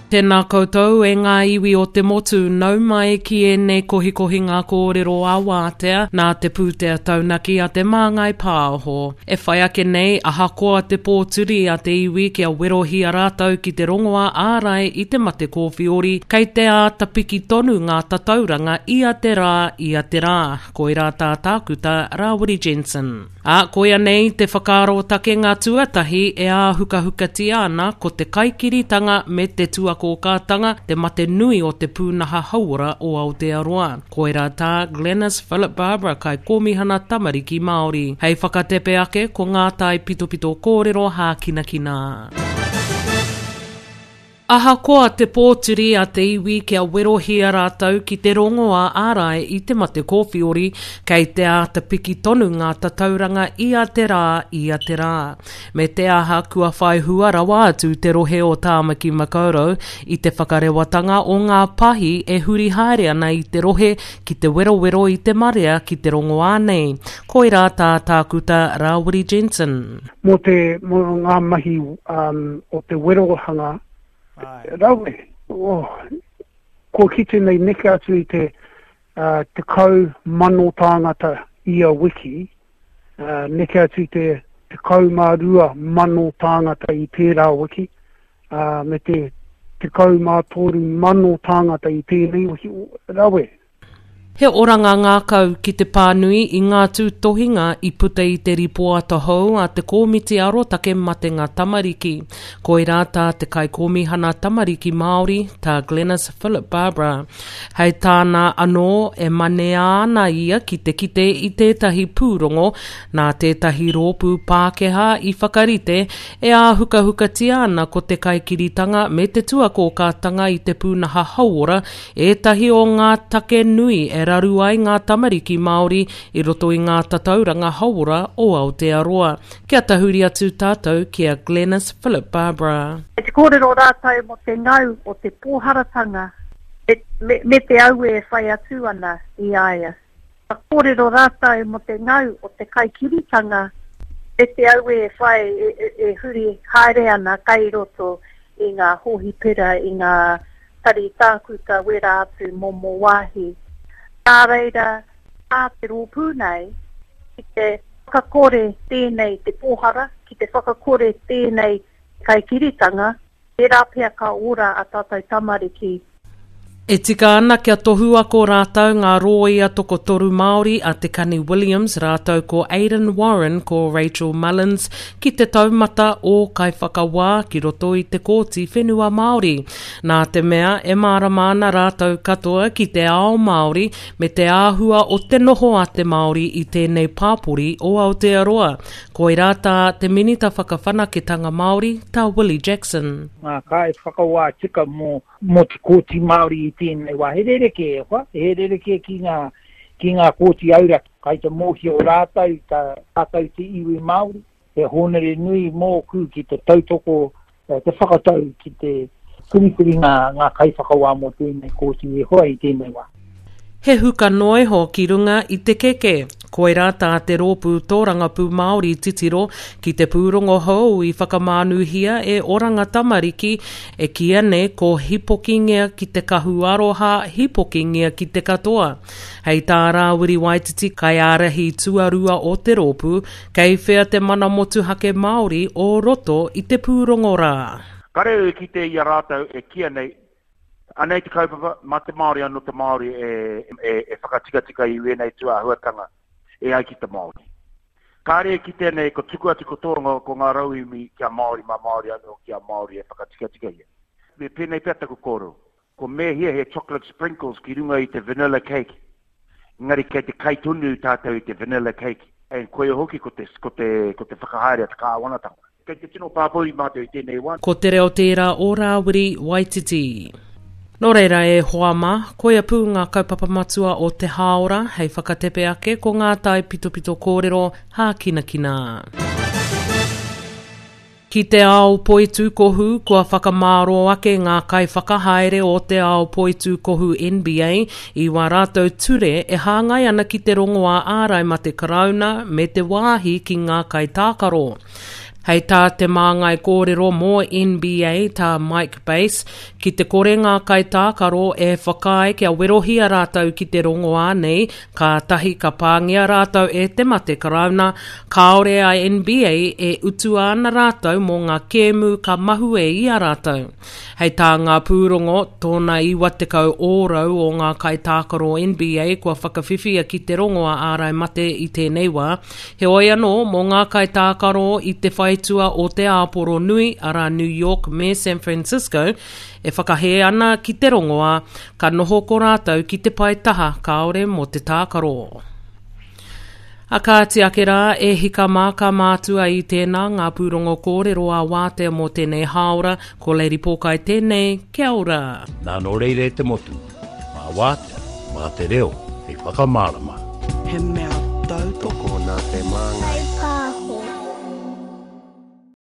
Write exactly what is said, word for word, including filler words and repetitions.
Tēnā koutou e ngā iwi o te motu, nau mai ki ēnei kohikohi ngā kōrero a wātea nā te pūtea taunaki a te Māngai Pāho. E whai ake nei, ahakoa te pōturi a te iwi kia werohia rātou ki te rongoā ārai i te mate kōwhiori, kei te āta piki tonu ngā tatauranga ia te rā, ia te rā. Koirā tā tākuta Rāwiri Jensen. Ā, koia nei te whakaaro-takenga tuatahi e āhukahukatia ana ko te kaikiritanga me te tuakōkātanga te mate nui o te pūnaha hauora o Aotearoa. Koirā tā Glenis Philip-Barbara Kaikōmihana Tamariki Māori. Hei whakatepe ake ko ngā taipitopito kōrero hākinakina. Ahakoa te pōturi a te iwi kia werohia rātou ki te rongoā ārai i te mate kōwhiori, kei te āta piki tonu ngā tatauranga ia te rā, ia te rā. Me te aha kua whai hua rawa atu te rohe o Tāmaki Makaurau i te whakarewatanga o ngā pahi e huri haere ana i te rohe ki te werowero i te marea ki te rongoā nei. Koirā tā tākuta Rāwiri Jensen. Mō te, mō ngā mahi um, o te werohanga, rawe, oh, kua kite nei neke atu i te uh, tekau mano tāngata ia wiki, uh, neke atu i te tekau mā rua mano tāngata i tērā wiki, uh, me te tekau mā toru mano tāngata i tēnei wiki, rawe. He oranga ngākau ki te pānui i ngā tūtohinga i puta i te ripoata hou a te Kōmiti Arotake Matenga Tamariki. Koirā tā te Kaikōmihana Tamariki Māori, tā Glenis Philip-Barbara. Hei tāna anō e manea ana ia ki te kite i tētahi pūrongo nā tētahi rōpū Pākehā i whakarite e āhukahukatia ana ko te kaikiritanga me te tuakōkātanga i te pūnaha hauora ētahi o ngā take nui e raru ai ngā tamariki Māori i roto i ngā tatauranga hauora o Aotearoa. Kia tahuri atu tātou ki a Glenis Philip-Barbara. E te kōrero rātou mō te ngau o te pōharatanga me, me, me te aue e whai atu ana i a ia. Ka kōrero rātou mō te ngau o te kaikiritanga me te aue e whai e, e, e huri haere ana kai roto i ngā hōhipera, i ngā tari tākuta wera atu momo wāhi. Nā reira, tā te rōpū nei, ki te whakakore tēnei te pōhara, ki te whakakore tēnei kaikiritanga, tērā pea ka ora a tātou tamariki. E tika ana kia tohu ako rātou ngā rōia tokotoru Māori a Te Kani Williams rātou ko Aidan Warren ko Rachel Mullins ki te taumata o kaiwhakawā ki roto i te Kōti Whenua Māori. Nā te mea e mārama ana rātou katoa ki te ao Māori me te āhua o te noho a te Māori i tēnei pāpori o Aotearoa. Koirā tā te Minita Whakawhanaketanga Māori, tā Willie Jackson. Ngā kaiwhakawā tika mō mō te Kōti Māori i tēnei wā. He rerekē e hoa, he rerekē ki ngā, ki ngā kōti auraki. Kai te mōhio rātou, tā, tātou te iwi Māori, he hōnore nui mōku ki te tautoko, te whakatau ki te whiriwhiri ngā, ngā kaiwhakawā mō tēnei kōti e hoa i tēnei wā. He huka noa iho ki runga i te keke. Koirā tā te rōpū tōrangapū Māori titiro ki te pūrongo hou i whakamānuhia e Oranga Tamariki e kīia nei ko Hipokingia ki te kahu aroha, hipokingia ki te katoa. Hei tā Rāwiri Waititi kaiārahi tuarua o te rōpū, kei whea te mana motuhake Māori o roto i te pūrongo rā. Kare e kite i a rātou e kīia nei, anei te kaupapa, mā te Māori anō te Māori e, e, e whakatikatika i wēnei tūāhuatanga e ai ki te Māori. Kāre e kitea nei ko tuku atu ko tōrongo ko ngā rauemi kia Māori mā Māori anō kia Māori e whakatikatika ia. Me pēnei pea taku kōrero, ko mēhia he chocolate sprinkles ki runga i te vanilla cake, engari kei te kai tonu tātou i te vanilla cake, and koia hoki ko te, ko te, ko te whakahaere a te kāwanatanga. Kei te tino pāpori mātou i tēnei wā. Ko te reo tērā o Rāwiri Waititi. Nō reira e hoa mā, koia pū ngā kaupapa matua o te hāora hei whakatepe ake ko ngā taipitopito kōrero hākinakina. Ki te ao poitūkohu, kua whakamāro ake ngā kaiwhakahaere o te ao poitūkohu N B A i wā rātou ture e hāngai ana ki te rongoā ārai mate karauna me te wāhi ki ngā kaitākaro. Hei tā te māngai kōrero mō N B A, tā Mike Bass, ki te kore ngā kaitākaro e whakaae kia werohia rātou ki te rongoā nei, kātahi ka pāngia rātou e te mate karauna, kāore a N B A e utua ana rātou mō ngā kēmu ka mahue i a rātou. Hei tā ngā pūrongo, tōna iwa tekau ōrau o ngā kaitākaro N B A kua whakawhiwhia ki te rongoā ārai mate i tēnei wā. Heoi anō, mō ngā kaitākaro i te whaitua o te āporo nui, arā New York me San Francisco, e whakahē ana ki te rongoā, ka noho ko rātou ki te pae taha kāore mō te tākaro. A kāti ake rā, e hika mā ka mātua i tēnā ngā pūrongo kōrero a wātea mō tēnei hāora, ko Lady Pōkai tēnei, kia ora. Nā nō reire te motu, mā wātea, mā te reo, hei whakamārama. He mea tautoko nā Te Māngai.